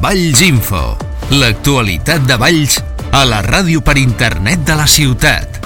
Valls Info, l'actualitat de Valls a la ràdio per internet de la ciutat.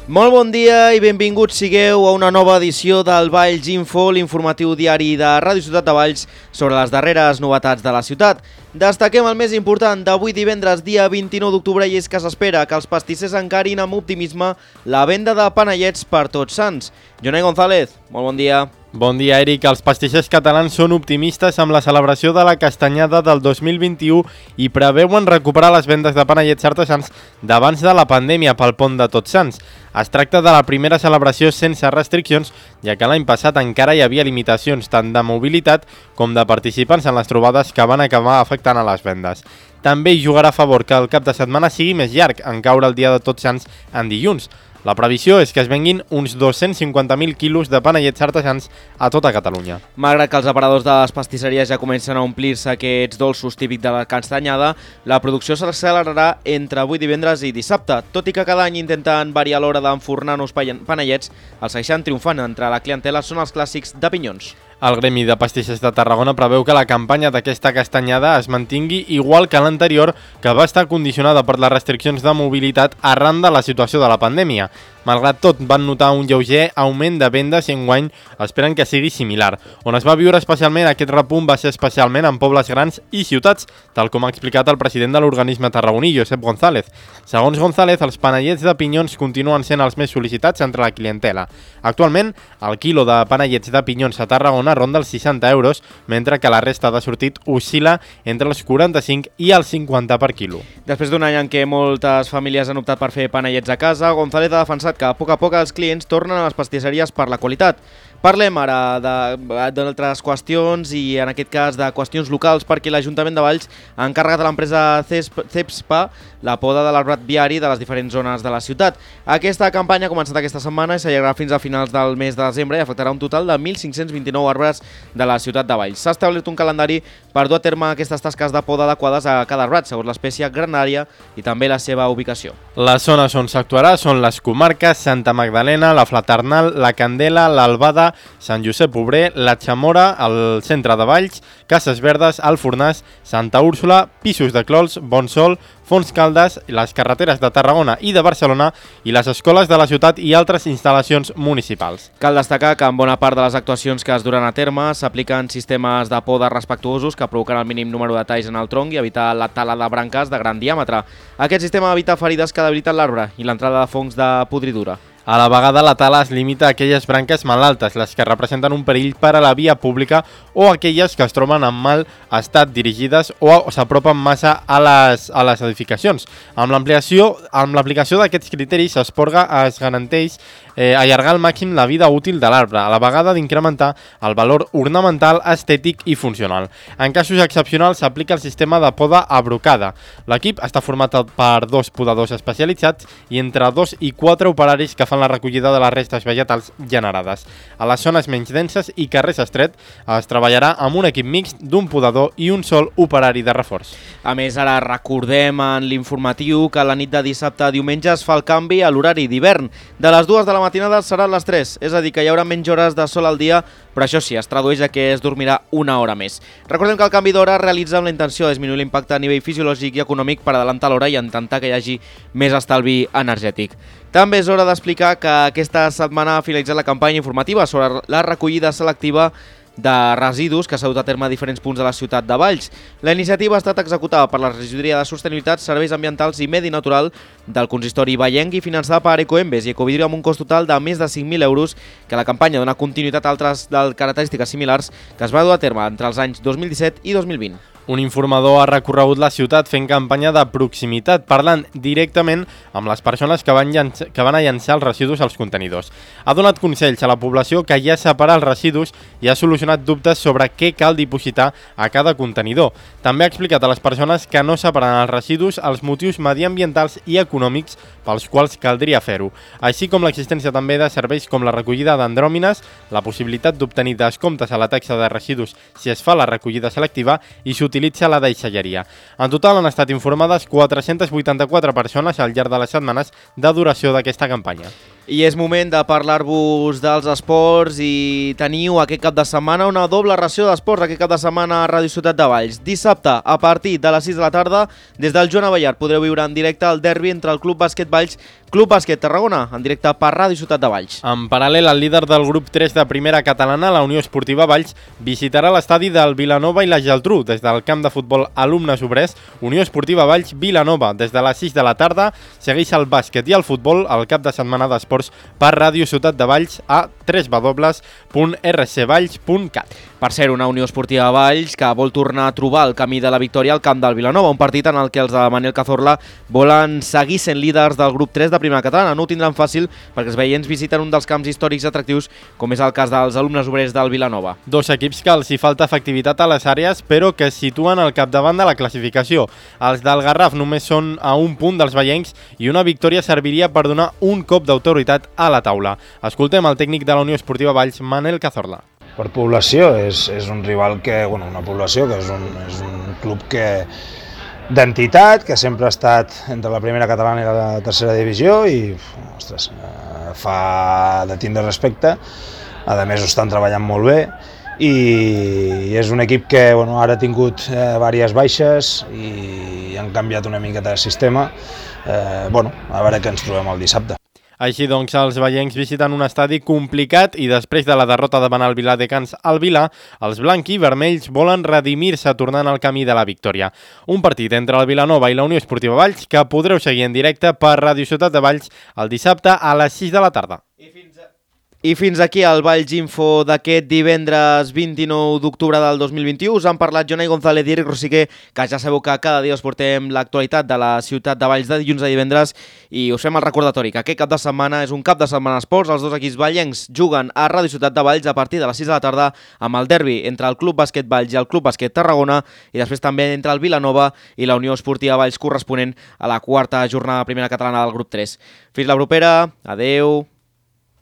Molt bon dia i benvinguts sigueu a una nova edició del Valls Info, l'informatiu diari de Ràdio Ciutat de Valls sobre les darreres novetats de la ciutat. Destaquem el més important d'avui divendres, dia 29 d'octubre, i és que s'espera que els pastissers encarin amb optimisme la venda de panellets per Tots Sants. Jonai González, molt bon dia. Bon dia, Eric. Els pastissers catalans són optimistes amb la celebració de la castanyada del 2021 i preveuen recuperar les vendes de panellets artesans d'abans de la pandèmia pel pont de Tots Sants. Es tracta de la primera celebració sense restriccions, ja que l'any passat encara hi havia limitacions tant de mobilitat com de participants en les trobades que van acabar afectant a les vendes. També hi jugarà a favor que el cap de setmana sigui més llarg, en caure el dia de Tots Sants en dilluns. La previsió és que es venguin uns 250.000 quilos de panellets artesans a tota Catalunya. Malgrat que els aparadors de les pastisseries ja comencen a omplir-se aquests dolços típics de la castanyada, la producció s'accelerarà entre avui divendres i dissabte. Tot i que cada any intenten variar l'hora d'enfornar nous panellets, els que estan triomfant entre la clientela són els clàssics de pinyons. El Gremi de Pastissers de Tarragona preveu que la campanya d'aquesta castanyada es mantingui igual que l'anterior, que va estar condicionada per les restriccions de mobilitat arran de la situació de la pandèmia. Malgrat tot, van notar un lleuger augment de vendes i enguany esperen que sigui similar. On es va viure especialment aquest repunt va ser especialment en pobles grans i ciutats, tal com ha explicat el president de l'organisme tarragoní, Josep González. Segons González, els panellets de pinyons continuen sent els més sol·licitats entre la clientela. Actualment, el quilo de panellets de pinyons a Tarragona ronda els 60 euros, mentre que la resta de sortit oscil·la entre els 45 i els 50 per quilo. Després d'un any en què moltes famílies han optat per fer panellets a casa, González ha defensat que a poc els clients tornen a les pastisseries per la qualitat. Parlem ara d'altres qüestions i en aquest cas de qüestions locals perquè l'Ajuntament de Valls ha encarregat a l'empresa CEPSPA la poda de l'arbrat viari de les diferents zones de la ciutat. Aquesta campanya ha començat aquesta setmana i s'allargarà fins a finals del mes de desembre i afectarà un total de 1.529 arbres de la ciutat de Valls. S'ha establert un calendari per dur a terme aquestes tasques de poda adequades a cada arbrat, segons l'espècie granària i també la seva ubicació. Les zones on s'actuarà són les comarques Santa Magdalena, la Fraternal, la Candela, l'Albada, Sant Josep Obrer, la Chamora, el centre de Valls, Cases Verdes, el Fornàs, Santa Úrsula, Pisos de Clols, Bonsol, Fons Caldes, les carreteres de Tarragona i de Barcelona i les escoles de la ciutat i altres instal·lacions municipals. Cal destacar que en bona part de les actuacions que es duran a terme s'apliquen sistemes de poda respectuosos que provoquen el mínim número de talls en el tronc i evitar la tala de branques de gran diàmetre. Aquest sistema evita ferides que debiliten l'arbre i l'entrada de fongs de podridura. A la vegada, la tala es limita a aquelles branques malaltes, les que representen un perill per a la via pública o aquelles que es troben en mal estat dirigides o s'apropen massa a les edificacions. Amb l'aplicació d'aquests criteris es garanteix allargar al màxim la vida útil de l'arbre, a la vegada d'incrementar el valor ornamental, estètic i funcional. En casos excepcionals s'aplica el sistema de poda a brocada. L'equip està format per 2 podadors especialitzats i entre 2 i 4 operaris que fan la recollida de les restes vegetals generades. A les zones menys denses i carrers estret es treballarà amb un equip mixt d'un podador i un sol operari de reforç. A més, ara recordem en l'informatiu que la nit de dissabte a diumenge es fa el canvi a l'horari d'hivern. De les 2 de la matinada serà a les 3, és a dir, que hi haurà menys hores de sol al dia, però això sí, es tradueix a que es dormirà una hora més. Recordem que el canvi d'hora es realitza amb la intenció de disminuir l'impacte a nivell fisiològic i econòmic per adelantar l'hora i intentar que hi hagi més estalvi energètic. També és hora d'explicar que aquesta setmana ha finalitzat la campanya informativa sobre la recollida selectiva de residus que s'ha dut a terme a diferents punts de la ciutat de Valls. La iniciativa ha estat executada per la Regidoria de Sostenibilitat, Serveis Ambientals i Medi Natural del consistori vallenc i finançada per Ecoembes i Ecovidrio amb un cost total de més de 5.000 euros, que la campanya dona continuïtat a altres de característiques similars que es va dur a terme entre els anys 2017 i 2020. Un informador ha recorregut la ciutat fent campanya de proximitat, parlant directament amb les persones que van a llançar els residus als contenidors. Ha donat consells a la població que ja separa els residus i ha solucionat dubtes sobre què cal dipositar a cada contenidor. També ha explicat a les persones que no separen els residus els motius mediambientals i econòmics pels quals caldria fer-ho, així com l'existència també de serveis com la recollida d'andròmines, la possibilitat d'obtenir descomptes a la taxa de residus si es fa la recollida selectiva i s'utilitza la deixalleria. En total han estat informades 484 persones al llarg de les setmanes de duració d'aquesta campanya. I és moment de parlar-vos dels esports i teniu aquest cap de setmana una doble ració d'esports aquest cap de setmana a Ràdio Ciutat de Valls. Dissabte, a partir de les 6 de la tarda, des del Joan Abellar podreu viure en directe el derbi entre el Club Bàsquet Valls, Club Bàsquet Tarragona, en directe per Ràdio Ciutat de Valls. En paral·lel, el líder del grup 3 de primera catalana, la Unió Esportiva Valls, visitarà l'estadi del Vilanova i la Geltrú des del camp de futbol Alumnes Obrers. Unió Esportiva Valls, Vilanova, des de les 6 de la tarda, segueix el bàsquet i el futbol al cap de setmana d'esports per Ràdio Ciutat de Valls a www.rcvalls.cat. Per ser una Unió Esportiva Valls que vol tornar a trobar el camí de la victòria al camp del Vilanova, un partit en el que els de Manel Cazorla volen seguir sent líders del grup 3 de primera catalana. No ho tindran fàcil perquè els veients visiten un dels camps històrics atractius, com és el cas dels Alumnes Obrers del Vilanova. Dos equips que els hi falta efectivitat a les àrees, però que es situen al capdavant de la classificació. Els del Garraf només són a un punt dels veiencs i una victòria serviria per donar un cop d'autoritat a la taula. Escoltem el tècnic de la Unió Esportiva Valls, Manel Cazorla. Per població és un rival que, una població que és un club d'entitat, que sempre ha estat entre la primera catalana i la tercera divisió i, ostres, fa de tindre respecte. A més, ho estan treballant molt bé i és un equip que ara ha tingut diverses baixes i han canviat una miqueta de sistema. A veure què ens trobem el dissabte. Així doncs, els veiencs visiten un estadi complicat i després de la derrota davant el Viladecans al Vilà, els blancs i vermells volen redimir-se tornant al camí de la victòria. Un partit entre el Vilanova i la Unió Esportiva Valls que podreu seguir en directe per Ràdio Ciutat de Valls el dissabte a les 6 de la tarda. I fins aquí el Valls Info d'aquest divendres 29 d'octubre del 2021. Us han parlat Jonai González i Eric Rosiquer, que ja sabeu que cada dia us portem l'actualitat de la ciutat de Valls de dilluns a divendres i us fem el recordatori que aquest cap de setmana és un cap de setmana esports. Els dos equips vallencs juguen a Ràdio Ciutat de Valls a partir de les 6 de la tarda amb el derbi entre el Club Bàsquet Valls i el Club Bàsquet Tarragona i després també entre el Vilanova i la Unió Esportiva Valls corresponent a la quarta jornada de primera catalana del grup 3. Fins la propera, adeu!